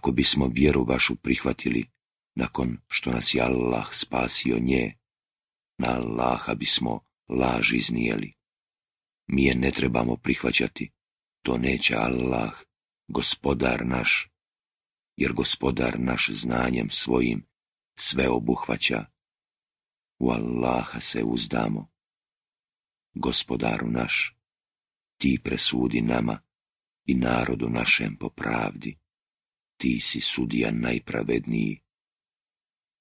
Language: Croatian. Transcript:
ako bismo vjeru vašu prihvatili, nakon što nas je Allah spasio nje, na Allaha bismo laž iznijeli. Mi je ne trebamo prihvaćati, to neće Allah, gospodar naš, jer gospodar naš znanjem svojim sve obuhvaća. U Allaha se uzdamo. Gospodaru naš, ti presudi nama i narodu našem po pravdi. Ti si sudija najpravedniji.